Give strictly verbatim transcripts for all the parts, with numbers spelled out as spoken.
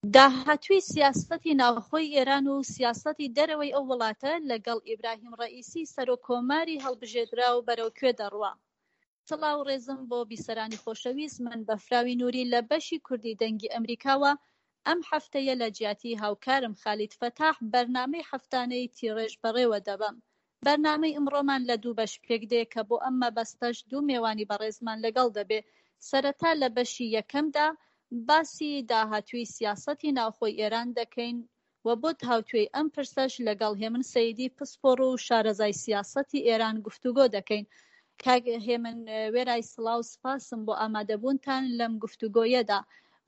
داهاتووی سیاسەتی ناوخۆی ئێران و سیاسەتی دەرەوەی ئەو وڵاتە لەگەڵ ئیبراهیم ڕەئیسی سەرۆک کۆماری هەڵبژێردراو بەرەو کوێ دەڕوا؟ سڵاو و ڕێزم بۆ بیسەرانی خۆشەویست، من بەفراوی نوری لە بەشی کوردی دەنگی ئەمریکاوە ئەم هەفتەیە لە جیاتی هاوکارم خالید فەتاح بەرنامەی هەفتانەی تیڕێژ بەڕێوە دەبەم. بەرنامەی ئمڕۆمان لە دوو بەش پێک دێ کە بۆ ئەم مەبەستەش دوو مێوانی بەڕێزمان لەگەڵ دەبێ. سەرەتا لە بەشی یەکەمدا باسی داهاتووی سیاسەتی ناوخۆی ئێران دەکەین و بۆ تاوتوێی ئەم پرسەش لەگەڵ هێمن سەیدی پسپۆڕ و شارەزای سیاسەتی ئێران گفتوگۆ دەکەین. کاک هێمن وێرای سڵاو سپاسم بۆ ئامادەبوونتان لەم گفتوگۆیەدا.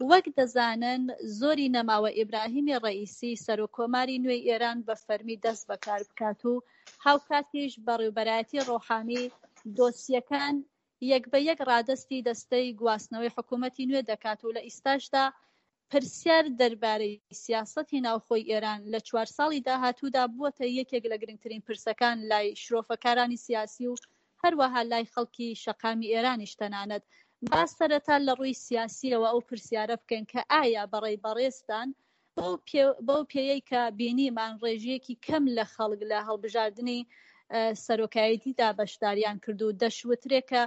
وەک دەزانن زۆری نەماوە ئیبراهیمی ڕەئیسی سەرۆک کۆماری نوێی ئێران بە فەرمی دەست بەکار بکات و هاوکاتیش بەڕێوبەرایەتی ڕۆحانی دۆسیەکان یەک بە یەک ڕادەستی دەستەی گواستنەوەی حکوومەتی نوێ دەکات و لە ئیستاشدا پرسیار دەربارەی سیاسەتی ناوخۆی ئێران لە چوار ساڵی داهاتوودا بووەتە یەکێک لە گرنگترین پرسەکان لای شرۆڤەکارانی سیاسی و هەروەها لای خەڵکی شەقامی ئێرانیش تەنانەت. با سەرەتا لە ڕووی سیاسیەوە ئەو پرسیارە بکەین کە ئایا بەڕێی بەڕێزتان بەو پێیەی کە بینیمان ڕێژەیەکی کەم لە خەڵک لە هەڵبژاردنی سەرۆکایەتیدا بەشداریان کرد و دەشوترێ کە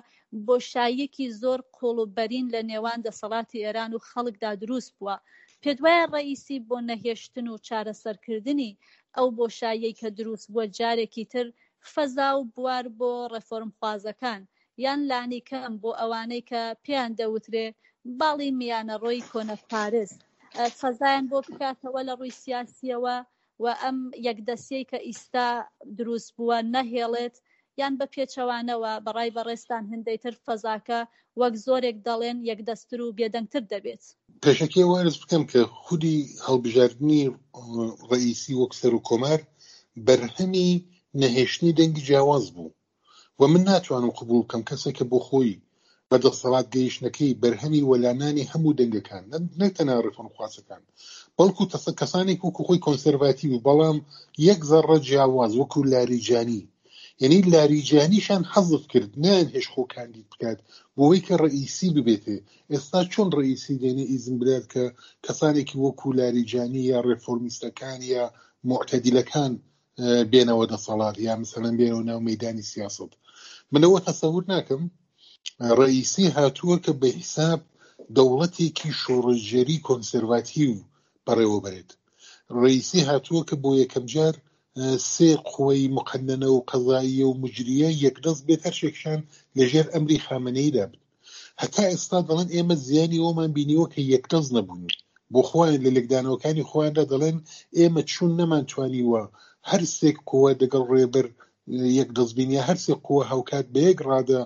بۆشاییەکی زۆر قوڵ و بەرین لە نێوان دەسەڵاتی ئێران و خەڵکدا دروست بووە، پێت وایە ڕەئیسی بۆ نەهێشتن و چارەسەرکردنی ئەو بۆشاییەی کە دروست بووە جارێکی تر فەزا و بوار بۆ ڕێفۆرمخوازەکان یان لانیکەم بۆ ئەوانەی کە پێیان دەوترێ باڵی میانەڕۆی کۆنەپارێز فەزایان بۆ بکاتەوە لە ڕووی سیاسیەوە و ئەم یەکدەستیەی کە ئیستا دروست بووە نەهێڵێت، یان بە پێچەوانەوە بەڕای بەڕێزتان هندەی تر فەزاکە وەک زۆرێک دەڵێن یەکدەستتر و بێدەنگتر دەبێت؟ پێشەکی ئەوە ئەرز بکەم کە خودی هەڵبژاردنی ڕەئیسی وەک سەرۆک کۆمار بەرهەمی نەهێشتنی دەنگی جیاواز بوو و من ناتوانم قبوڵ بکەم کەسێک کە بۆ خۆی بە دەسەڵات گەیشتنەکەی بەرهەمی وەلانانی هەموو دەنگەکان، نەک تەنها ڕێفۆرمخوازەکان بەڵکو کەسانێک وەکو خۆی کۆنسەرڤاتیو و بەڵام یەک زەڕە جیاواز وەکو لاریجانی، یعنی لاریجانیشان حەزف کرد، نایان هێش خۆ کاندید بکات بۆ ئەوەی کە ڕئیسی ببێتێ. ئێستا چۆن ڕئیسی دێنێ ئیزن بدات کە کەسانێکی وەکو لاریجانی یا ڕێفۆرمیستەکان یا معتەدیلەکان بێنەوە دەسەڵات یا مثلا بێنەوە ناو مەیدانی سیاسەت؟ منەوە تەسەور ناکەم. ڕئیسی هاتووە کە بە حیساب دەوڵەتێکی شۆڕشگێری کۆنسەرڤاتیو بەڕێوە بەرێت. ڕئیسی هاتووە کە بۆ یەکەم جار سێ قوەی مقننە و قەزاییە و مجریە یەکدەست بێت، هەر شێکشان لەژێر ئەمری خامنەییدا بن. هەتا ئێستا دەڵێن ئێمە زیانی ئەومان بینیوە کە یەکدەست نەبوون. بۆ خۆیان لە لێکدانەوەکانی خۆیاندا دەڵێن ئێمە چون نەمانتوانیوە هەر سێک قووە دەگەڵ ڕێبەر یەکدەست بین یا هەر سێ قووە هاوکات بە یەک ڕادە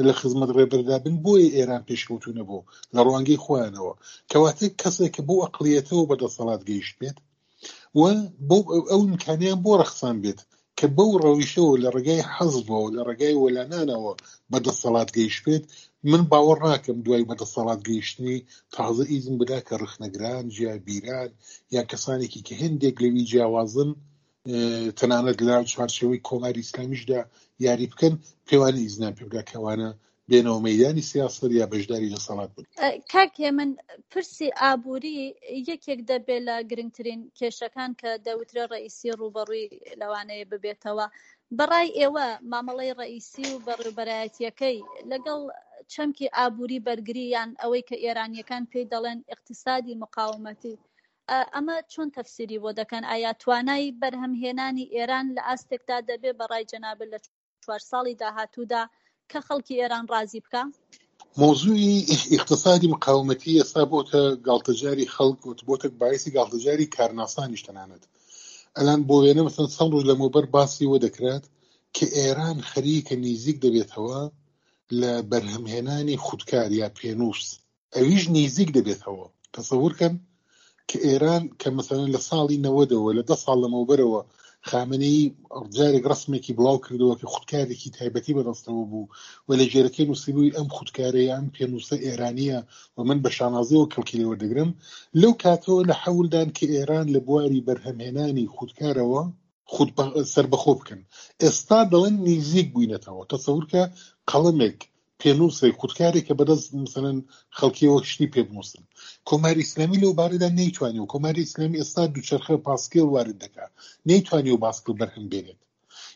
لە خزمەت ڕێبەردا بن، بۆیە ئێران پێشکەوتوو نەبوو لە ڕوانگەی خۆیانەوە. کەواتە کەسێک کە بۆ ئەقلیەتەوە بەدەسەڵات گەیشت بێت و بۆ ئەو ئیمکانیان بۆ ڕەخسان بێت کە بەو ڕەویشەوە لە ڕێگای حەزبەوە لە ڕێگای وەلانانەوە بەدەسەڵات گەیشت بێت، من باوەڕ ناکەم دوای بەدەسەڵات گەیشتنی تازە ئیزن بدا کە ڕخنەگران، جیابیران یان کەسانێکی کە هەندێک لەوی جیاوازن تەنانەت لە چوارچێوەی کۆماری ئیسلامیشدا یاری بکەن، پێوانی ئیزنیان پێ بدا کەوانە بێنەوە مەیدانی سیاسەت یا بەشداری دەسەڵات بن. کاک هێمن، پرسی ئابووری یەکێک دەبێت لە گرنگترین کێشەکان کە دەوترێ ڕەئیسی ڕووبەڕووی لەوانەیە ببێتەوە. بەڕای ئێوە مامەڵەی ڕەئیسی و بەڕێوبەرایەتیەکەی لەگەڵ چەمکی ئابووری بەرگری یان ئەوەی کە ئێرانیەکان پێی دەڵێن ئیقتسادی مقاومەتی، ئەمە چۆن تەفسیری بۆ دەکەن؟ ئایا توانای بەرهەمهێنانی ئێران لە ئاستێکدا دەبێ بەڕای جەنابت لە چوار ساڵی داهاتوودا کە خەڵکی ئێران ڕازی بکە؟ مەوزوعی ئیقتسادی مقاومەتی ئێستا بۆتە گاڵتەجاری خەڵک و بۆتە باعثی گاڵتەجاری کارناسانیش تەنانەت. ئەلان بۆ وێنە مثلا چەند ڕۆژ لەمەوبەر باسی وە دەکرات کە ئێران خەریکە نیزیک دەبێتەوە لە بەرهەمهێنانی خودکار یا پێنووس، ئەویش نیزیک دەبێتەوە. تەسەور کەن کە ئێران کە مثلا لە ساڵی نەوەدەوە لە دە ساڵ لەمەوبەرەوە خامنەیی جارێک ڕسمێکی بڵاو کردەوە کە خودکارێکی تایبەتی بەدەستەوە بوو و لە ژێرەکەی نووسیبووی ئەم خودکارەیە ئەم پێنووسە ئێرانیە و من بە شانازیەوە کەڵکی لێ وەردەگرم، لەو کاتەوە لە حەولدان کە ئێران لە بواری بەرهەمهێنانی خودکارەوە خود سربەخۆ بکەن. ئێستا دەڵێن نیزیک بووینەتەوە. تەسەور کە قەڵەمێک، پێنووسێک، خودکارێک کە بەدەست مثلەن خەڵکیەوە شتی پێ بنووسن. کۆماری ئیسلامی لەو بارەدا نەیتوانی و کۆماری ئیسلامی ئێستا دووچەرخە پاسکیل وارد دەکات، نەیتوانی و باسکل بەرهەم بێنێت.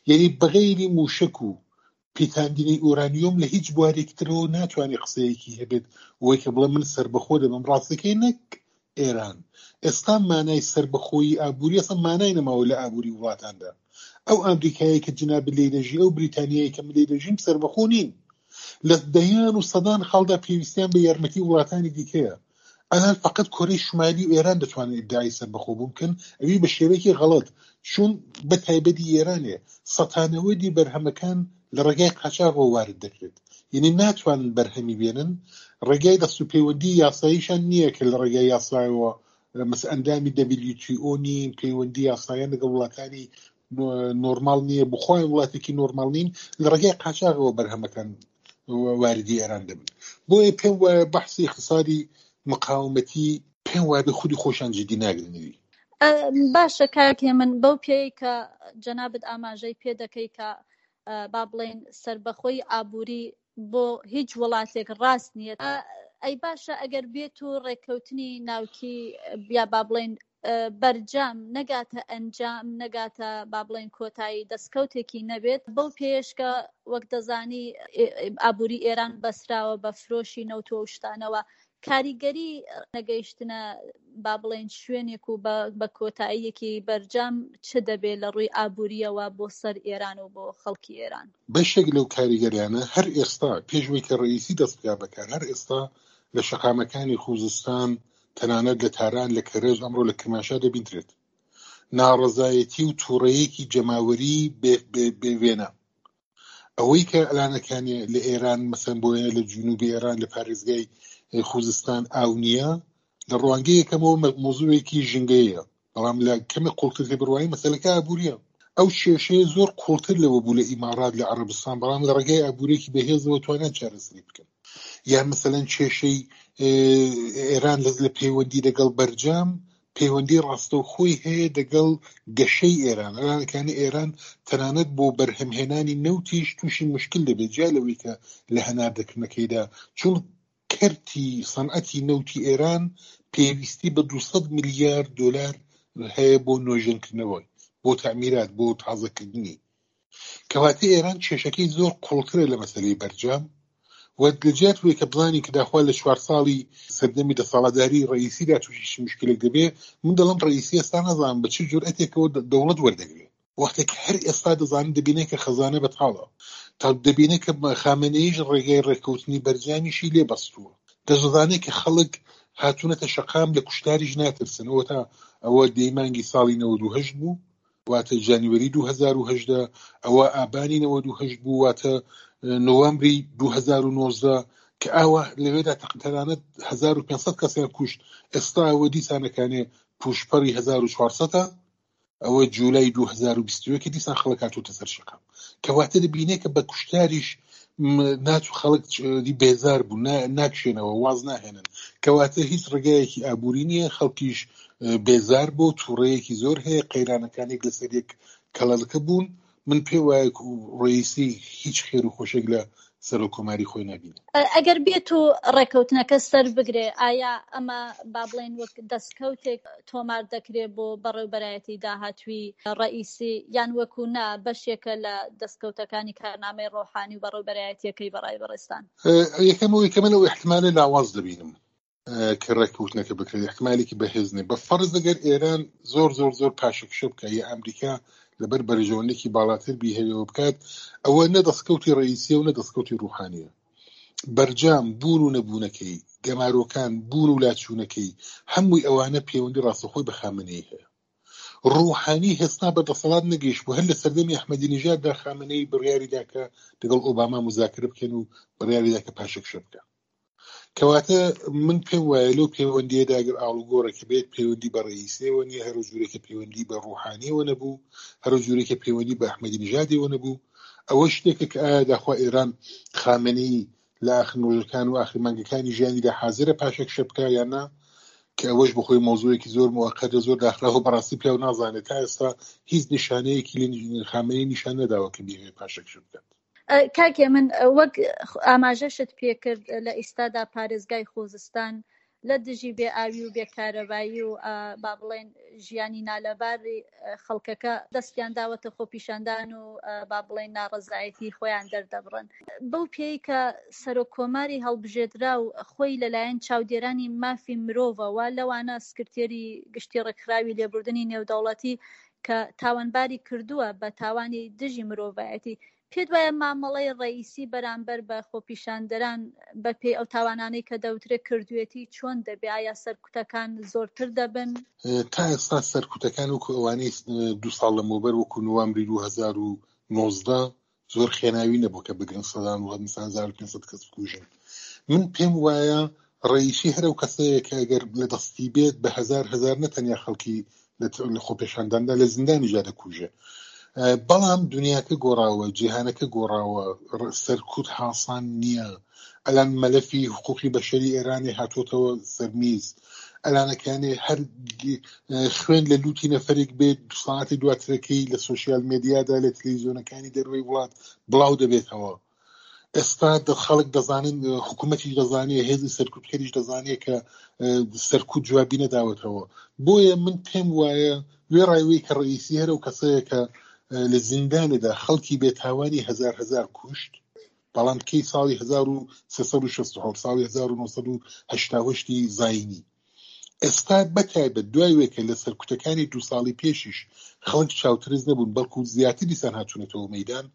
یعنی بەغەیری مووشەک و پیتاندنی ئورانیۆم لە هیچ بوارێکی ترەوە ناتوانێت قسەیەکی هەبێت وەی کە بڵێ من سربەخۆ دەبم. ڕاستەکەی نەک ئێران ئێستا مانای سربەخۆیی ئابووری ئەسڵ مانای نەماوە لە ئابووری وڵاتاندا. ئەو ئەمریکایەی کە جناب لێی دەژی، ئەو بریتانیایی کە من لێی دەژیم سربەخۆ نین. لە دەیان و سەدان خاڵدا پێویستیان بە یارمەتی وڵاتانی دیکەیە. ئەلان فقط کۆرەی شمالی و ئێران دەتوانن ئیدعای سەربەخۆ بوون بکەن، ئەوی بە شێوەیەکی غەڵەت، چون بە تایبەتی ئێرانێ سەتانەوەدی بەرهەمەکان لە ڕێگای قاچاغەوە وارد دەکرێت. یعنی ناتوانن بەرهەمی بێنن، ڕێگای دەست و پەیوەندی یاساییشان نییە کە لە ڕێگای یاسایەوە مەس ئەندامی دبلیو تی ئۆ نین، پەیوەندی یاساییان لەگەڵ وڵاتانی نۆرمال نییە، بخۆیان وڵاتێکی نۆرمال نین، لە ڕێگای قاچاغەوە بەرهەمەکان واردی ئێران دەبن. بۆیە پێم وایە بەحسی اقتصادی مقاومەتی پێم وایە بە خودی خۆشان جدی ناگرنەوی. باشە کاک هێمن، بەو پێی کە جەنابت ئاماژەی پێ دەکەی کە با بڵێن سربەخۆی ئابووری بۆ هیچ وڵاتێک ڕاست نییە، ئەی باشە ئەگەر بێت و ڕێککەوتنی ناوکی یا با بڵێن بەرجام نەگاتە ئەنجام، نەگاتە با بڵێن کۆتایی دەستکەوتێکی نەبێت، بەو پێشکە وەک دەزانی ئابووری ئێران بەسراوە بە فرۆشی نەوت و شتانەوە، کاریگەری نەگەیشتنە با بڵێن شوێنێک و بە کۆتاییەکی بەرجام چ دەبێت لە ڕووی ئابووریەوە بۆ سەر ئێران و بۆ خەڵکی ئێران؟ بەشێک لەو کاریگەریانە هەر ئێستا پێشوەی کە ڕئیسی دەست بکات بەکار، هەر ئێستا لە شەقامەکانی خوزستان، تەنانەت لە تاران، لە کەرەج، ئەمڕۆ لە کرمانشاه دەبیندرێت ناڕەزایەتی و تووڕەیەکی جەماوەری بێوێنە. ئەوەی کە ئەلانەکانی لە ئێران مەسەن بۆ وێنە لە جنوبی ئێران لە پارێزگای خوزستان ئاو نییە، لە ڕوانگەی یەکەمەوە مۆزوعێکی ژینگەیە، بەڵام لە کەمێک قوڵتر تێبڕوایی مەسەلەکە ئابووریە. ئەو کێشەیە زۆر قوڵتر لەوە بوو لە ئیمارات، لە عەرەبستان، بەڵام لە ڕێگای ئابووریەکی بەهێزەوە توانیان چارەسەری بکەن. یان مەسەلەن کێشەی ئێران لە پەیوەندی لەگەڵ بەرجام پەیوەندی ڕاستەوخۆی هەیە لەگەڵ گەشەی ئێران. ئەلانەکانی ئێران تەنانەت بۆ بەرهەمهێنانی نەوتیش تووشی مشکل دەبێت، جیا لەوەی کە لە هەناردەکردنەکەیدا، چون کەرتی سەنعەتی نەوتی ئێران پێویستی بە دووسەد ملیارد دلار هەیە بۆ نۆژەنکردنەوەی، بۆ تەعمیرات، بۆ تازەکردنی. کەواتە ئێران کێشەکەی زۆر قوڵترە لە مەسەلەی بەرجام و لەجیات وەی کە بزانین کە داخوا لە چوار ساڵی سەردەمی دەسەڵاتداری ڕئیسیدا تووشی مشکلێک دەبێ، من دەڵێم ڕئیسی ئێستا نازانم بە چ جورئەتێکەوە دەوڵەت وەردەگرێت. وەختێک هەر ئێستا دەزانن دەبینێ کە خەزانە بەتاڵە، تا دەبینێ کە خامنەییش ڕێگای ڕێککەوتنی بەرجامیشی لێ بەستووە، دەزانێت کە خەڵک هاتوونەتە شەقام لە کوشتاریش ناترسن. ئەوە تا ئەوە دەیمانگی ساڵی نەوەد و هەشت بوو، واتە ژانویری دوو هەزار و هەژدە، ئەوە ئابانی نەوەد و هەشت بوو، واتە نوامبری دوو هەزار و نۆزدە، کە ئاوا لەوێدا تەنانەت هەزار و پێنج سەد کەسیان کوشت. ئێستا ئەوە دیسانەکانێ پوشپەڕی هەزار و چوارسەدە، ئەوە جولای دوو هەزار و بیست و یەک دیسان خەڵک هاتووتە سەر شەقام. کەواتە دەبینێ کە بە کوشتاریش ناچوو خەڵک بێزار بوو، ناکشێنەوە، واز ناهێنن. کەواتە هیچ ڕێگایەکی ئابووری نییە، خەڵکیش بێزار بۆ، تووڕەیەکی زۆر هەیە، قەیرانەکانێک لەسەر یەک کەڵەلکە بوون. من پێ وایە ڕئیسی هیچ خێر و خۆشێک لە سەرۆک کۆماری خۆی نبینێ. ئەگەر بێت و ڕێککەوتنەکە سەر بگرێ، ئایا ئەمە با بڵێن وەک دەستکەوتێک تۆمار دەکرێت بۆ بەڕێوبەرایەتی داهاتووی ڕئیسی، یان وەکو نا بەشێکە لە دەستکەوتەکانی کارنامەی ڕۆحانی و بەڕێوبەرایەتیەکەی بەڕای بەڕێستان؟ یەکەم ئەوەی کە من ئەو احتمالە لاواز دەبینم کە ڕێککەوتنەکە بکرێت، احتمالێکی بەهێز نییە. بە فەرز ئەگەر ئێران زۆر زۆر زۆر پاشەکشە بکە یا ئەمریکا لەبەر بەرژەوەندێکی باڵاتر بیهەوێەوە بکات، ئەوە نە دەستکەوتی ڕئیسیە و نە دەستکەوتی ڕوحانیە. بەرجام بوون و نەبوونەکەی، گەمارۆکان بوون و لاچوونەکەی، هەمووی ئەوانە پەیوەندی ڕاستەخۆی بە خامنەیی هەیە. ڕوحانی هێستا بە دەسەڵات نەگەیشت بوو. هەر لە سەردەمی ئەحمەدی نژاددا خامنەیی بڕیاری دا کە لەگەڵ ئۆباما مذاکرە بکەن و بڕیاری دا کە پاشەکشە بکە. کەواتە من پێم وایە لەو پەیوەندیەدا ئەگەر ئاڵوگۆڕێکە بێت پەیوەندی بە ڕئیسیەوە نییە، هەرو جورێکە پەیوەندی بە ڕوحانیەوە نەبوو، هەرو جورێکە پەیوەندی بە ئەحمەدی نژادیەوە نەبوو. ئەوە شتێکە کە ئایا داخوا ئێران خامنەیی لە ئاخر ڕۆژەکان و ئاخر مانگەکانی ژیانیدا حاضرە پاشەکشە بکا یان نا، کە ئەوەش بەخۆی مۆزوعێکی زۆر موقەدە، زۆر داخراوە، بەڕاستی پیاو نازانێت. تا ئێستا هیچ نیشانەیەکی لە خامنەیی نیشان نەداوە کە بیەوێت پاشەکشە بکات. کاک هێمن، وەک ئاماژەشت پێکرد لە ئیستادا پارێزگای خوزستان لە دژی بێ ئاوی و بێ کارەبایی و با بڵێن ژیانی نالەباری خەڵکەکە دەستیان داوەتە خۆپیشاندان و با بڵێن ناڕەزایەتی خۆیان دەردەبڕن. بەو پێی کە سەرۆک کۆماری هەڵبژێردراو خۆی لەلایەن چاودێرانی مافی مرۆڤەوە، لەوانە سکرتێری گشتی ڕێکخراوی لێبوردنی نێودەوڵەتی کە تاوانباری کردووە بە تاوانی دژی مرۆڤایەتی، پێت وایە مامەڵەی ڕەئیسی بەرامبەر بە خۆپیشاندەران بە پێی ئەو تاوانانەی کە دەوترێت کردوێتی چۆن دەبێ؟ ئایا سەرکوتەکان زۆرتر دەبن؟ تا ئێستا سەرکوتەکان وەکو ئەوانەی دوو ساڵ لەمەوبەر وەکو نوامبری دوو هەزار و نۆزدە زۆر خێناوی نەبوو کە بگرن سەدان و مثلا هەزار و پێنج سەد کەس بکوژن. من پێم وایە ڕەئیسی هەر ئەو کەسەیە کە ئەگەر لە دەستی بێت بە هەزار هەزار نەتەنیا خەڵکی لە خۆپێشانداندا لە زیندانیشدا دەکوژێ. بەڵام دنیاکە گۆڕاوە، جیهانەکە گۆڕاوە، سەرکوت حاسان نییە. ئەلان مەلەفی حقوقی بەشەری ئێرانی هاتووەتەوە سەرمیز. ئەلانەکانێ هەر خوێن لە لوتی نەفەرێک بێت دو ساعەتی دواترەکەی لە سۆشیال میدیادا لە تەلەڤیزیۆنەکانی دەروەی وڵات بڵاو دەبێتەوە. ئێستا خەڵک دەزانن، حکوومەتیش دەزانێت، هێزی سەرکوتکەریش دەزانێت کە سەرکوت جوابی نەداوەتەوە. بۆیە من پێم وایە وێڕایوەی کە ڕئیسی هەر ئەو کەسەیە کە لە زیندانێدا خەڵکی بێتاوانی هەزار هەزار کوشت، بەڵام کەی ساڵی هەزار و سێ سەد و شەست و حەوت ساڵی هەزار و نۆ سەد و هەشتا و هەشتی زایینی. ئێستا بەتایبەت دوای وێ کە لە سەرکوتەکانی دوو ساڵی پێشیش خەڵک چاوترس نەبوون، بەڵکو زیاتر دیسان هاتوونەتەوە مەیدان.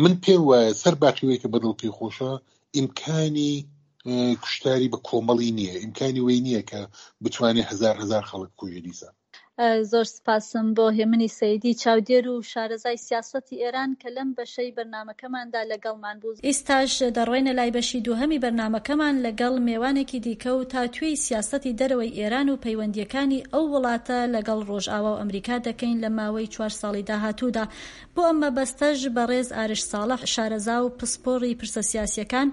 من پێم وایە سەر باقیوەی کە بەدڵ پێی خۆشە ئیمکانی کوشتاری بە کۆمەڵی نییە، ئیمکانی وەی نییە کە بتوانێت هەزار هەزار خەڵک بکوژێ دیسان. زۆر سپاسم بۆ هێمنی سەیدی چاودێر و شارەزای سیاسەتی ئێران کە لەم بەشەی بەرنامەکەماندا لەگەڵمان بوو. ئێستاش دەڕۆینە لای بەشی دووهەمی بەرنامەکەمان لەگەڵ مێوانێکی دیکە و تاوتوێی سیاسەتی دەرەوەی ئێران و پەیوەندیەکانی ئەو وڵاتە لەگەڵ ڕۆژئاوا و ئەمریکا دەکەین لە ماوەی چوار ساڵی داهاتوودا. بۆ ئەم مەبەستەش بەڕێز ئارش ساڵح شارەزا و پسپۆڕی پرسە سیاسیەکان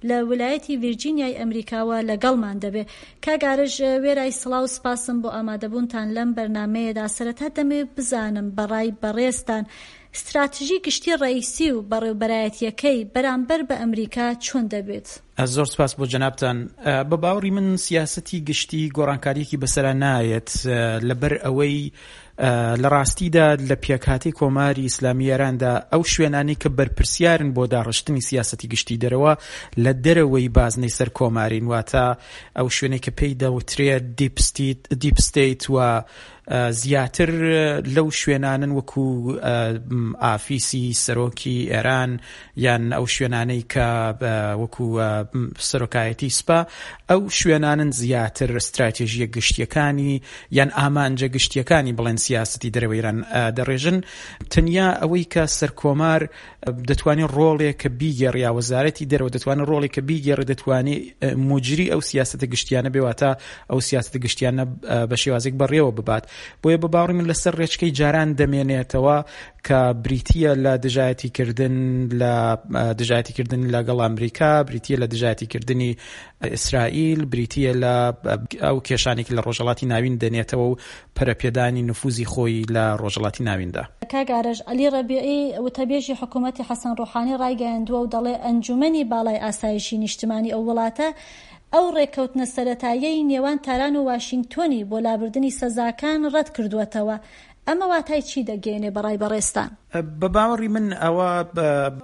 لە ولایەتی ڤیرجینیای ئەمریکاوە لەگەڵمان دەبێ. کاک ئارش، وێرای سڵاو سپاسم بۆ ئامادەبوونتان لەم بەرنامەیەدا. سەرەتا دەمەوێت بزانم بەڕای بەڕێزتان استراتژی گشتی ڕئیسی و بەڕێوبەرایەتیەکەی بەرامبەر بە ئەمریکا چۆن دەبێت؟ زۆر سپاس بۆ جەنابتان. بە باوەڕی من سیاسەتی گشتی گۆڕانکاریەکی بەسەرا نایەت، لەبەر ئەوەی لە ڕاستیدا لە پێکهاتەی کۆماری ئیسلامی ئێراندا ئەو شوێنانەی کە بەرپرسیارن بۆ داڕشتنی سیاسەتی گشتی دەرەوە لە دەرەوەی بازنەی سەر کۆمارین، واتە ئەو شوێنەی کە پێی دەوترێت deep state و زیاتر لەو شوێنانن وەکو ئافیسی سەرۆکی ئێران یان ئەو شوێنانەی کە وەکو سەرۆکایەتی سپا، ئەو شوێنانن زیاتر استراتێژیە گشتیەکانی یان ئامانجە گشتیەکانی بڵێن سیاسەتی دەرەوەی ئێران دەڕێژن. تەنیا ئەوەی کە سەرکۆمار دەتوانێت ڕۆڵێک کە بیگێڕ یا وەزارەتی دەرەوە دەتوانێت ڕۆڵێک کە بیگێڕێ، دەتوانێت موجری ئەو سیاسەتە گشتیانە بێواتە ئەو سیاسەتە گشتیانە بە شێوازێک بەڕێوە ببات. بۆیە بە باوەڕی من لەسەر ڕێچکەی جاران دەمێنێتەوە کە بریتیە لە دژایەتیکردن لە دژایەتیکردن لەگەڵ ئەمریکا، بریتیە لە دژایەتیکردنی ئیسرائیل، بریتیە لە ئەو کێشانێکی لە ڕۆژهەڵاتی ناوین دەنێتەوە و پەرەپێدانی نفوزی خۆی لە ڕۆژهەڵاتی ناویندا. کاک ئارش، عەلی ڕەبیعی وتەبێژی حکوومەتی حەسەن ڕۆحانی ڕایگەیاندووە و دەڵێ ئەنجومەنی باڵای ئاسایشی نیشتمانی ئەو وڵاتە ئەو ڕێککەوتنە سەرەتاییەی نێوان تاران و واشنگتۆنی بۆ لابردنی سەزاکان ڕەت کردووەتەوە. ئەمە واتای چی دەگەیەنێ بەڕای بەڕێزتان؟ بە باوەڕی من ئەوە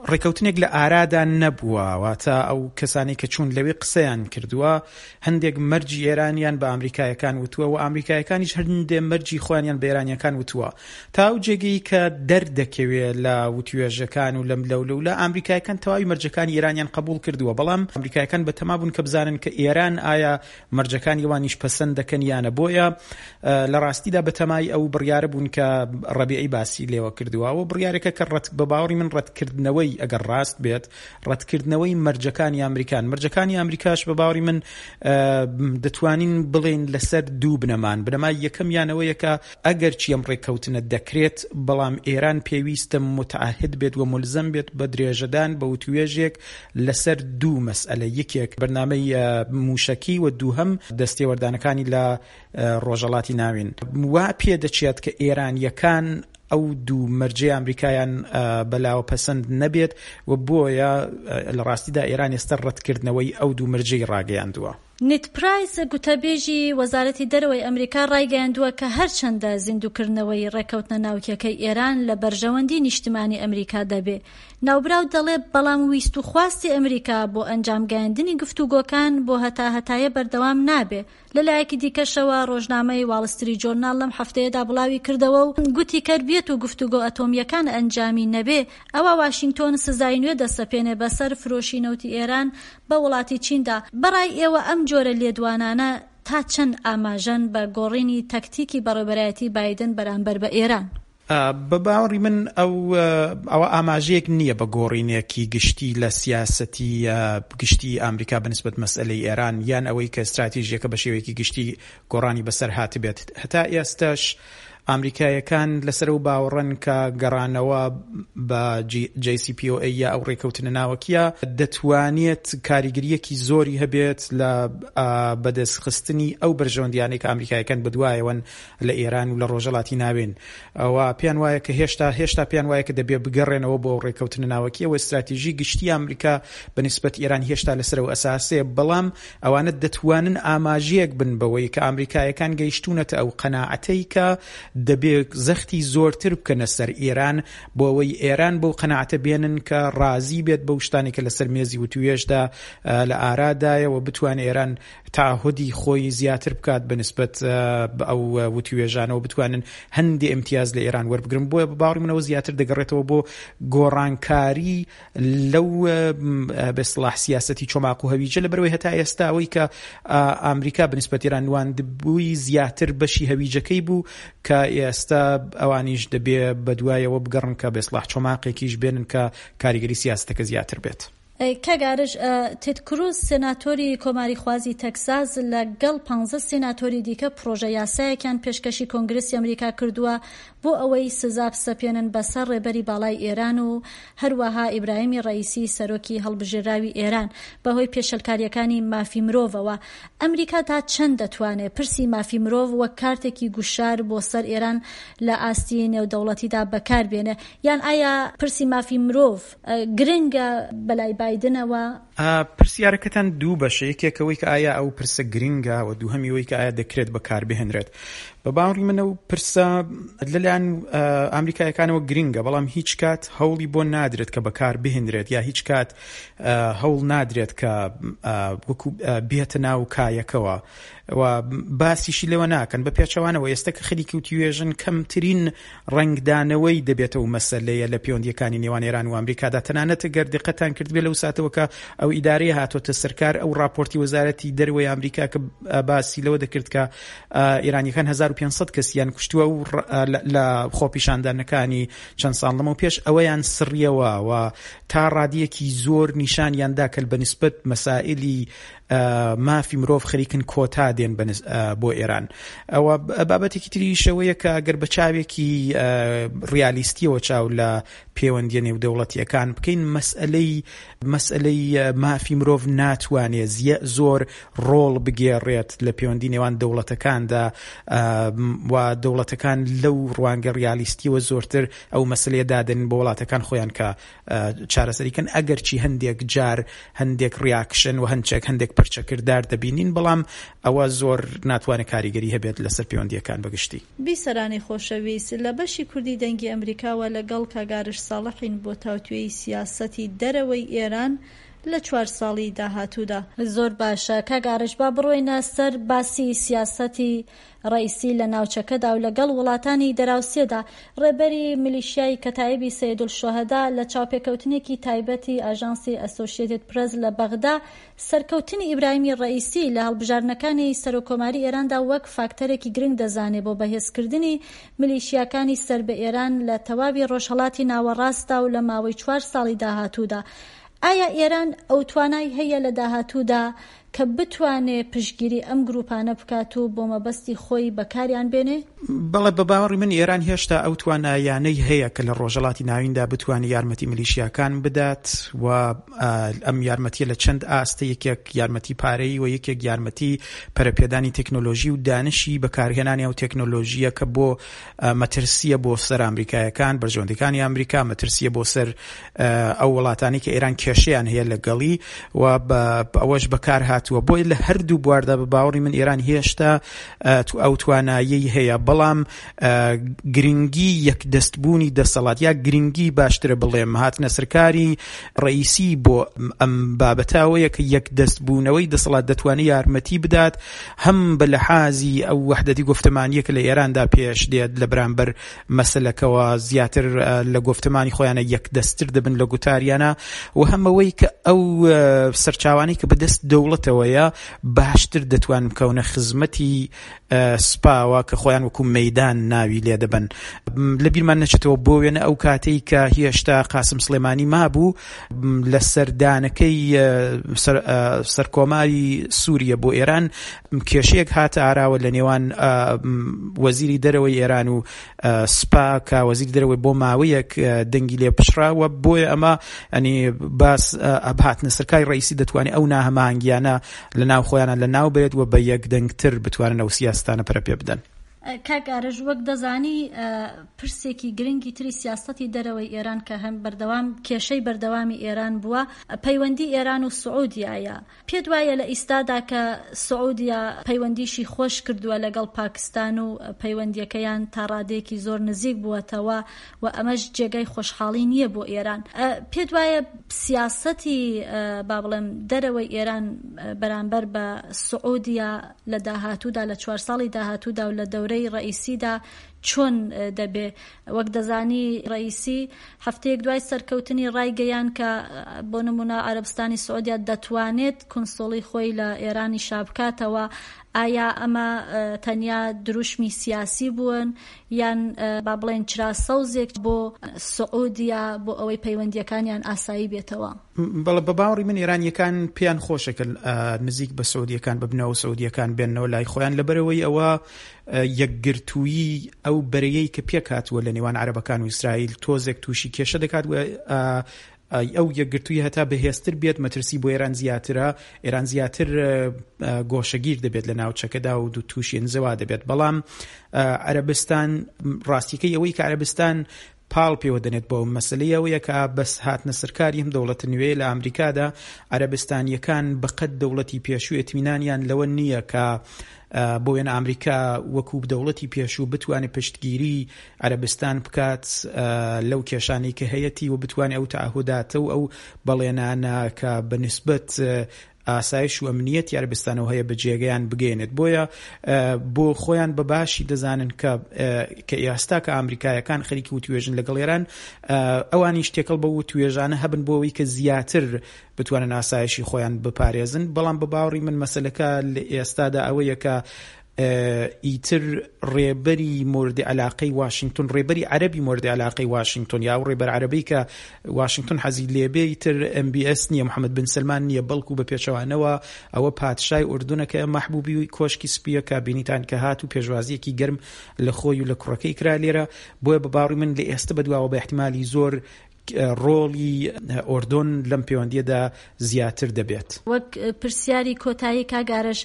ڕێککەوتنێک لە ئارادا نەبووە، واتە ئەو کەسانی کە چوون لەوێ قسەیان کردووە هەندێک مەرجی ئێرانیان بە ئەمریکایەکان وتووە و ئەمریکایەکانیش هەندێک مەرجی خۆیانیان بە ئێرانیەکان وتووە تا ئەو جێگەی کە دەردەکەوێ لە وتوێژەکان و لەم لەولەولا ئەمریکایەکان تەواوی مەرجەکانی ئێرانیان قبوڵ کردووە، بەڵام ئەمریکایەکان بەتەما بوون کە بزانن کە ئێران ئایا مەرجەکانی ئەوانیش پەسەند دەکەن یانە. بۆیە لە ڕاستیدا بەتەمای ئەو بڕیارە بوون کە ڕەبیعی باسی لێوە کردووە. ئەوە بڕیارێکە کە بە باوەڕی من ڕەتکردنەوەی ئەگەر ڕاست بێت ڕەتکردنەوەی مەرجەکانی ئەمریکان، مەرجەکانی ئەمریکاش بە باوەڕی من دەتوانین بڵێن لەسەر دوو بنەمان. بنەمای یەکەمیانەوەیە کە ئەگەر چی ئەم ڕێککەوتنە دەکرێت بەڵام ئێران پێویستە متعهد بێت و ملزم بێت بە درێژەدان بە وتوێژێک لەسەر دوو مەسئلە، یەکێک بەرنامەی موشەکی و دووهەم دەستێوەردانەکانی لە ڕۆژهەڵاتی ناوین. وا پێدەچێت کە ئێرانیەکان ئەو دوو مەرجەی ئەمریکایان بەلاوە پەسەند نەبێت و بۆیە لە ڕاستیدا ئێران ئێستا ڕەتکردنەوەی ئەو دوو مەرجەی ڕاگەیاندووە. نێد پرایس، گوتەبێژی وەزارەتی دەرەوەی ئەمریکا ڕایگەیاندووە کە هەرچەندە زیندووکردنەوەی ڕێککەوتنە ناوکیەکەی ئێران لە بەرژەوەندی نیشتمانی ئەمریکا دەبێ، ناوبراو دەڵێ بەڵام ویست و خواستی ئەمریکا بۆ ئەنجامگەیاندنی گفتوگۆکان بۆ هەتاهەتایە بەردەوام نابێ. لە لایەکی دیکەشەوە ڕۆژنامەی واڵ ستریت جۆرناڵ لەم هەفتەیەدا بڵاوی کردەوە و گوتی کەر بێت و گفتوگۆ ئەتۆمییەکان ئەنجامی نەبێ ئەوا واشینگتۆن سزای نوێ دەسەپێنێ بەسەر فرۆشی نەوتی ئێران بە وڵاتی چیندا. بەڕای ئێوە ئەم جۆرە لێدوانانە تا چەند ئاماژەن بە گۆڕینی تەکتیکی بەڕێوبەرایەتی بایدن بەرامبەر بە ئێران؟ بە باوەڕی من ئەو ئەوە ئاماژەیەک نییە بە گۆڕینێکی گشتی لە سیاسەتی گشتی ئامریکا بە نسبەت مەسئەلەی ئێران یان ئەوەی کە ستراتیژیەکە بە شێوەیەکی گشتی گۆڕانی بەسەر هاتبێت. هەتا ئێستاش ئامریکایەکان لەسەر ئەو باوەڕەن کە گەڕانەوە بە جەی سی پی ئۆ ئەی یا ئەو ڕێکەوتنە ناوەکیە دەتوانێت کاریگەریەکی زۆری هەبێت لە بەدەستخستنی ئەو بەرژەوەندیانەی کە ئامریکایەکان بەدوایەوەن لە ئێران و لە ڕۆژهەڵاتی ناوین و پێیان وایە کە هێشتا هێشتا پێیان وایە کە دەبێ بگەڕێنەوە بۆ ئەو ڕێککەوتنە ناوەکیە و ئیستراتیژی گشتی ئامریکا بە نیسبەت ئێران هێشتا لەسەر ئەو ئەساسەیە بەڵام ئەوانە دەتوانن ئاماژەیەک بن بەوەی کە ئامریکایەکان گەیشتوونەتە ئەو قەناعەتەی کە دەبێ زەختی زۆرتر بکەنە سەر ئێران بۆ ئەوەی ئێران بەو قەناعەتە بێنن کە ڕازی بێت بەو شتانەی کە لەسەر مێزی وتووێژدا لە ئارادایە و بتوانێت ئێران تەعەهودی خۆی زیاتر بکات بە نسبەت بە ئەو وتوێژانەوە بتوانن هەندێ ئیمتیاز لە ئێران وەربگرن بۆیە بە باوەڕی منەوە زیاتر دەگەڕێتەوە بۆ گۆڕانکاری لەو بە اصطلاح سیاسەتی چۆماق و هەویجە لەبەرەوەی هەتا ئێستا ئەوەی کە ئامریکا بە نسبەت ئێران نواندبووی زیاتر بەشی هەویجەکەی بوو کە ئێستا ئەوانیش دەبێ بەدوایەوە بگەڕن کە بە اصطلاح چۆماقێکیش بێنن کە کاریگەری سیاسەتەکە زیاتر بێت. کاک ئارش، تێد کروز سێناتۆری کۆماریخوازی تەکساس لە گەڵ پانزە سێناتۆری دیکە پڕۆژە یاسایەکیان پێشکەشی کۆنگرسی ئەمریکا کردووە بۆ ئەوەی سزا بسەپێنن بەسەر ڕێبەری باڵای ئێران و هەروەها ئیبراهیمی ڕەئیسی سەرۆکی هەڵبژێراوی ئێران بەهۆی پێشێلکارییەکانی مافی مرۆڤەوە. ئەمریکا تا چەند دەتوانێ پرسی مافی مرۆڤ وەک کارتێکی گوشار بۆ سەر ئێران لە ئاستی نێودەوڵەتیدا بەکار بێنێ؟ یان ئایا پرسی مافی مرۆڤ گرنگە بەلای بایدنەوە؟ پرسیارەکەتان دوو بەشە، یەکێک ئەوەی کە ئایا ئەو پرسە گرنگە و دووهەمی ئەوەی کە ئایا دەکرێت بەکاربهێنرێت. بە باوەڕی من ئەو پرسە لەلایەن ئامریکایەکانەوە گرنگە، بەڵام هیچ کات هەوڵی بۆ نادرێت کە بەکاربهێنرێت یا هیچ کات هەوڵ نادرێت کە وەکو بێتە ناو کایەکەوە و باسیشی لێوە ناکەن. بە پێچەوانەوە ئێستا کە خەریکی وتوێژن کەمترین ڕەنگدانەوەی دەبێتەوە مەسەلەیە لە پەیوەندیەکانی نێوان ئێران و ئەمریکادا. تەنانەت گەر دقەتان کردبێ لەو ساتەوە کە ئەو ئیدارەیە هاتۆتە سەرکار، ئەو راپۆرتی وەزارەتی دەرەوەی ئەمریکا کە باسی لەوە دەکرد کە ئێرانیەکان هەزار و پێنج سەد کەسیان کوشتووە و لە خۆپیشاندانەکانی چەند ساڵ لەمەو پێش ئەوەیان سڕیەوە و تا ڕادیەکی زۆر نیشانیان دا کە بە نسبەت مەسائلی مافی مرۆڤ خەریکن کۆتا دێن بۆ ئێران. ئەوە بابەتێکی تریشەوەیە کە ئەگەر بە چاوێکی ڕیالیستیەوە چاو لە پەیوەندیە نێودەوڵەتیەکان بکەین، مەسئلەی مەسئلەی مافی مرۆڤ ناتوانێت زۆر ڕۆڵ بگێڕێت لە پەیوەندی نێوان دەوڵەتەکاندا و دەوڵەتەکان لەو ڕوانگە ڕیالیستیەوە زۆرتر ئەو مەسلەیە دادەن بۆ وڵاتەکان خۆیان کە چارەسەریکەن، ئەگەرچی هەندێک جار هەندێک ڕیاکشن و هەندێک هەندێک پرچەکردار دەبینین، بەڵام ئەوە زۆر ناتوانێت کاریگەری هەبێت لەسەر پەیوەندیەکان بەگشتی. بیسەرانی خۆشەویست، لە بەشی کوردی دەنگی ئەمریکاوە لەگەڵ کاک ئارش ساڵحین بۆ تاوتوێی سیاسەتی دەرەوەی ئێران لە چوار ساڵی داهاتوودا. زۆر باشە کاک ئارش، با بڕۆینە سەر باسی سیاسەتی ڕەئیسی لە ناوچەکەدا و لەگەڵ وڵاتانی دەراوسێدا. ڕێبەری میلیشیای کەتائیبی سەیدولشوهەدا لە چاوپێکەوتنێکی تایبەتی ئاژانسی ئەسۆشیەتد پرێس لە بەغدا سەرکەوتنی ئیبراهیمی ڕەئیسی لە هەڵبژاردنەکانی سەرۆککۆماری ئێراندا وەک فاکتەرێکی گرنگ دەزانێ بۆ بەهێزکردنی میلیشیاکانی سەر بە ئێران لە تەواوی ڕۆژهەڵاتی ناوەڕاستدا و لە ماوەی چوار ساڵی داهاتوودا. ئایا ئێران ئەو توانای هەیە لە داهاتوودا کە بتوانێ پشتگیری ئەم گروپانە بکات و بۆ مەبەستی خۆی بەکاریان بێنێ؟ بەڵێ، بە باوەڕی من ئێران هێشتا ئەو توانایانەی هەیە کە لە ڕۆژهەڵاتی ناویندا بتوانێت یارمەتی میلیشیاکان بدات و ئەم یارمەتیە لە چەند ئاستە، یەکێک یارمەتی پارەیی و یەکێک یارمەتی پەرەپێدانی تەکنۆلۆژی و دانشی بەکارهێنانی ئەو تەکنۆلۆژیە کە بۆ مەترسیە بۆ سەر ئەمریکایەکان، بەرژەوەندیەکانی ئەمریکا، مەترسیە بۆ سەر ئەو وڵاتانی کە ئێران کێشەیان هەیە لەگەڵی و ئەوەش بەکار هاتووە. بۆیە لە هەردوو بواردا بە باوەڕی من ئێران هێشتا ئەو توانایەی هەیە، بەڵام گرنگی یەکدەستبوونی دەسەڵات یا گرنگی باشترە بڵێم هاتنە سەرکاری ڕئیسی بۆ ئەم بابەتەوەیە کە یەکدەستبوونەوەی دەسەڵات دەتوانێت یارمەتی بدات هەم بە لەحازی ئەو وەحدەتی گفتمانیە کە لە ئێراندا پێش دێت لە بەرامبەر مەسلەکەوە زیاتر لە گفتمانی خۆیانە یەکدەستتر دەبن لە گوتاریانە و هەمەوەی کە ئەو سەرچاوانەی کە بەدەست دەوڵەتەوەیە باشتر دەتوان بکەونە خزمەتی سپاوە کە خۆیان وەکو مەیدان ناوی لێ دەبن. لە بیرمان نەچێتەوە بۆ وێنە ئەو کاتەی کە هێشتا قاسم سلێمانی مابوو لە سەردانەکەی سەرکۆماری سووریە بۆ ئێران کێشەیەک هاتە ئاراوە لە نێوان وەزیری دەرەوەی ئێران و سپا کە وەزیری دەرەوەی بۆ ماوەیەک دەنگی لێ پشراوە. بۆیە ئەمە ئەنی باس هاتنە سەرکاری ڕئیسی دەتوانێت ئەو ناهەماهەنگیانە لە ناو خۆیانە لە ناو بێت و بە یەک دەنگتر بتوانن ئەو سیاستانە پەرە پێ بدەن. کاک ئارەش، وەک دەزانی پرسێکی گرنگی تری سیاسەتی دەرەوەی ئێران کە هەم بەردەوام کێشەی بەردەوامی ئێران بووە، پەیوەندی ئێران و سعودیایە. پێت وایە لە ئیستادا کە سعودیا پەیوەندیشی خۆش کردووە لەگەڵ پاکستان و پەیوەندیەکەیان تا ڕادەیەکی زۆر نزیک بووەتەوە و ئەمەش جێگای خۆشحاڵی نییە بۆ ئێران، پێت وایە سیاسەتی با بڵێم دەرەوەی ئێران بەرامبەر بە سعودیا لە داهاتوودا، لە چوار ساڵی داهاتوودا و لە دەورەی ڕئیسیدا چۆن دەبێ؟ وەک دەزانی ڕئیسی هەفتەیەک دوای سەرکەوتنی ڕایگەیان کە بۆ نمونە عەرەبستانی سعودیا دەتوانێت کنسوڵی خۆی لە ئێرانی شا بکاتەوە. ئایا ئەمە تەنیا دروشمی سیاسی بوون یان با بڵێن چرا سەوزێک بۆ سعودیا بۆ ئەوەی پەیوەندیەکانیان ئاسایی بێتەوە؟ بەڵێ، بە باوەڕی من ئێرانیەکان پێیان خۆشە کە نزیک بە سعودیەکان ببنەوە، سعودیەکان بێنەوە لای خۆیان، لەبەرەوەی ئەوە یەکگرتوویی ئەو بەرەیەی کە پێک هاتووە لە نێوان عەرەبەکان و ئیسرائیل تۆزێک تووشی کێشە دەکات و ئەو یەکگرتووی هەتا بەهێزتر بێت مەترسی بۆ ئێران زیاترە، ئێران زیاتر گۆشەگیر دەبێت لە ناوچەکەدا و دوو تووشی ئەنزەوا دەبێت. بەڵام عەرەبستان ڕاستیەکەی ئەوەی کە عەرەبستان پاڵ پێوە دەنێت بۆ مەسلەی ئەوەیە کە بەس هاتنە سەرکاری ئەم دەوڵەتە نوێ لە ئەمریکادا عەرەبستانیەکان بەقەد دەوڵەتی پێشوو ئیتمینانیان لەوە نییە کە بۆ وێنە ئەمریکا وەکو دەوڵەتی پێشوو بتوانێت پشتگیری عەرەبستان بکات لەو کێشانەی کە هەیەتی و بتوانێت ئەو تەعهوداتە و ئەو بەڵێنانە کە بە نسبەت ئاسایش و ئەمنیەتی عەرەبستانەوە هەیە بە جێگەیان بگەێنێت. بۆیە بۆ خۆیان بە باشی دەزانن کە کە ئێستا کە ئەمریکایەکان خەریکی وتوێژن لەگەڵ ئێران، ئەوانیش تێکەڵ بە وتوێژانە هەبن بۆ ئەوەی کە زیاتر بتوانن ئاسایشی خۆیان بپارێزن. بەڵام بە باوەڕی من مەسەلەکە لە ئێستادا ئەوەیە کە ئیتر ڕێبەری مورد علاقەی واشنگتن، ڕێبەری عەرەبی مورد علاقەی واشنگتن یا ئەو ڕێبەر عەرەبی کە واشنگتن حەزی لێبێ ئیتر ئەم بی ئێس نییە، محەممەد بن سەلمان نییە، بەڵکو بە پێچەوانەوە ئەوە پادشای ئوردونە کە مەحبوبی کۆشکی سپیە کە بینیتان کە هات و پێشوازیەکی گەرم لە خۆی و لە کوڕەکەی کرا لێرە. بۆیە بە باوەڕی من لە ئێستا بەدواوە بە احتیمالی زۆر ڕۆڵی ئۆردۆن لەم پەیوەندیەدا زیاتر دەبێت. وەک پرسیاری کۆتایی کاک ئارەش،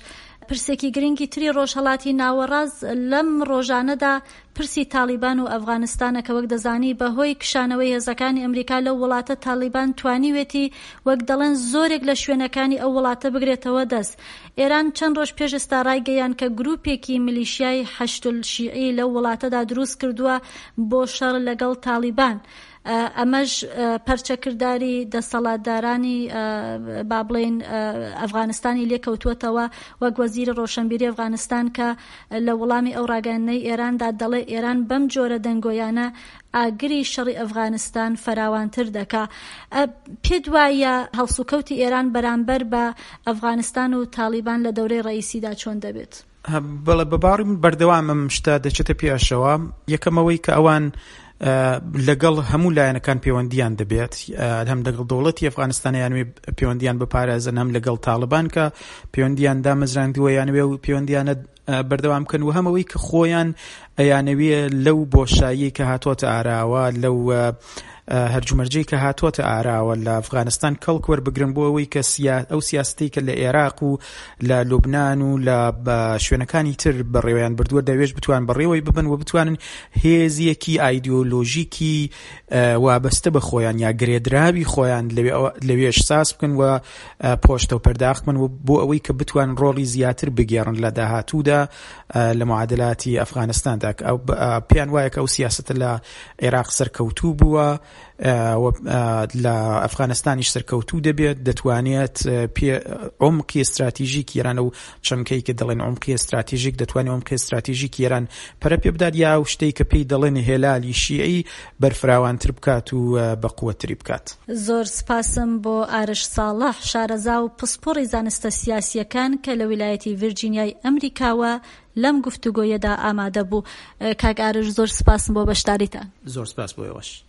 پرسێکی گرنگی تری ڕۆژهەڵاتی ناوەڕاست لەم ڕۆژانەدا پرسی تالیبان و ئەفغانستانە کە وەک دەزانی بەهۆی کشانەوەی هێزەکانی ئەمریکا لەو وڵاتە تالیبان توانیوێتی وەک دەڵێن زۆرێک لە شوێنەکانی ئەو وڵاتە بگرێتەوە دەست. ئێران چەند ڕۆژ پێش ئێستا ڕایگەیان کە گروپێکی میلیشیای حەشد شیعی لەو وڵاتەدا دروست کردووە بۆ شەڕ لەگەڵ تالیبان. ئەمەش پەرچەکرداری دەسەڵاتدارانی با بڵێین ئەفغانستانی لێکەوتووەتەوە، وەک وەزیری ڕۆشنبیری ئەفغانستان کە لە وەڵامی ئەو ڕاگەیاندنەی ئێراندا دەڵێ ئێران بەم جۆرە دەنگۆیانە ئاگری شەڕی ئەفغانستان فراوانتر دەکا. پێت وایە هەڵسوکەوتی ئێران بەرامبەر بە ئەفغانستان و تالیبان لە دەورەی ڕئیسیدا چۆن دەبێت؟ بەڵێ، بە باوەڕی من بەردەوامم شتە دەچێتە پێشەوە. یەکەمەوەی کە ئەوان لەگەڵ هەموو لایەنەکان پەیوەندیان دەبێت، هەم لەگەڵ دەوڵەتی ئەفغانستان یانوێ پەیوەندیان بپارێزن، هەم لەگەڵ تاڵبان کە پەیوەندیان دامەزراندووە یانوێ و پەیوەندیانە بەردەوام بکەن و هەمەوەی کە خۆیان ئەیانەوێ لەو بۆشایی کە هاتۆتە ئاراوە، لەو هەرجومەرجەی کە هاتۆتە ئاراوە لە ئەفغانستان کەڵک وەربگرن بۆ ئەوەی کە ئەو سیاسەتەی کە لە عێراق و لە لوبناان و لە شوێنەکانی تر بەڕێوەیان بردووە دەوێش بتوان بەڕێوەی ببن و بتوانن هێزیەکی ئایدیۆلۆژیکی وابەستە بە خۆیان یا گرێدراوی خۆیان لەوێش ساز بکەن و پۆشتە و پەرداخت بکەن و بۆ ئەوەی کە بتوان ڕۆڵی زیاتر بگێڕن لە داهاتوودا لە معادلاتی ئەفغانستاندا. پێیان وایە کە ئەو سیاسەتە لە عێراق سەرکەوتوو بووە لە ئەفغانستانیش سەرکەوتوو دەبێت، دەتوانێت پێ عمقی استراتیژیک ئێران و چەمکەی کە دەڵێن عمقی استراتیژیک دەتوانێت عمقی استراتیژیک ئێران پەرە پێ بدات یا ئەو شتەی کە پێی دەڵێن هێلالی شیعی بەرفراوانتر بکات و بەقوەتری بکات. زۆر سپاسم بۆ ئارش ساڵح، شارەزا و پسپۆڕی زانستە سیاسیەکان کە لە ویلایەتی ڤیرجینیای ئەمریکاوە لەم گفتوگۆیەدا ئامادە بوو. کاک ئارش زۆر سپاسم بۆ بەشداریتان. زۆر سپاس بۆ ئێوەش.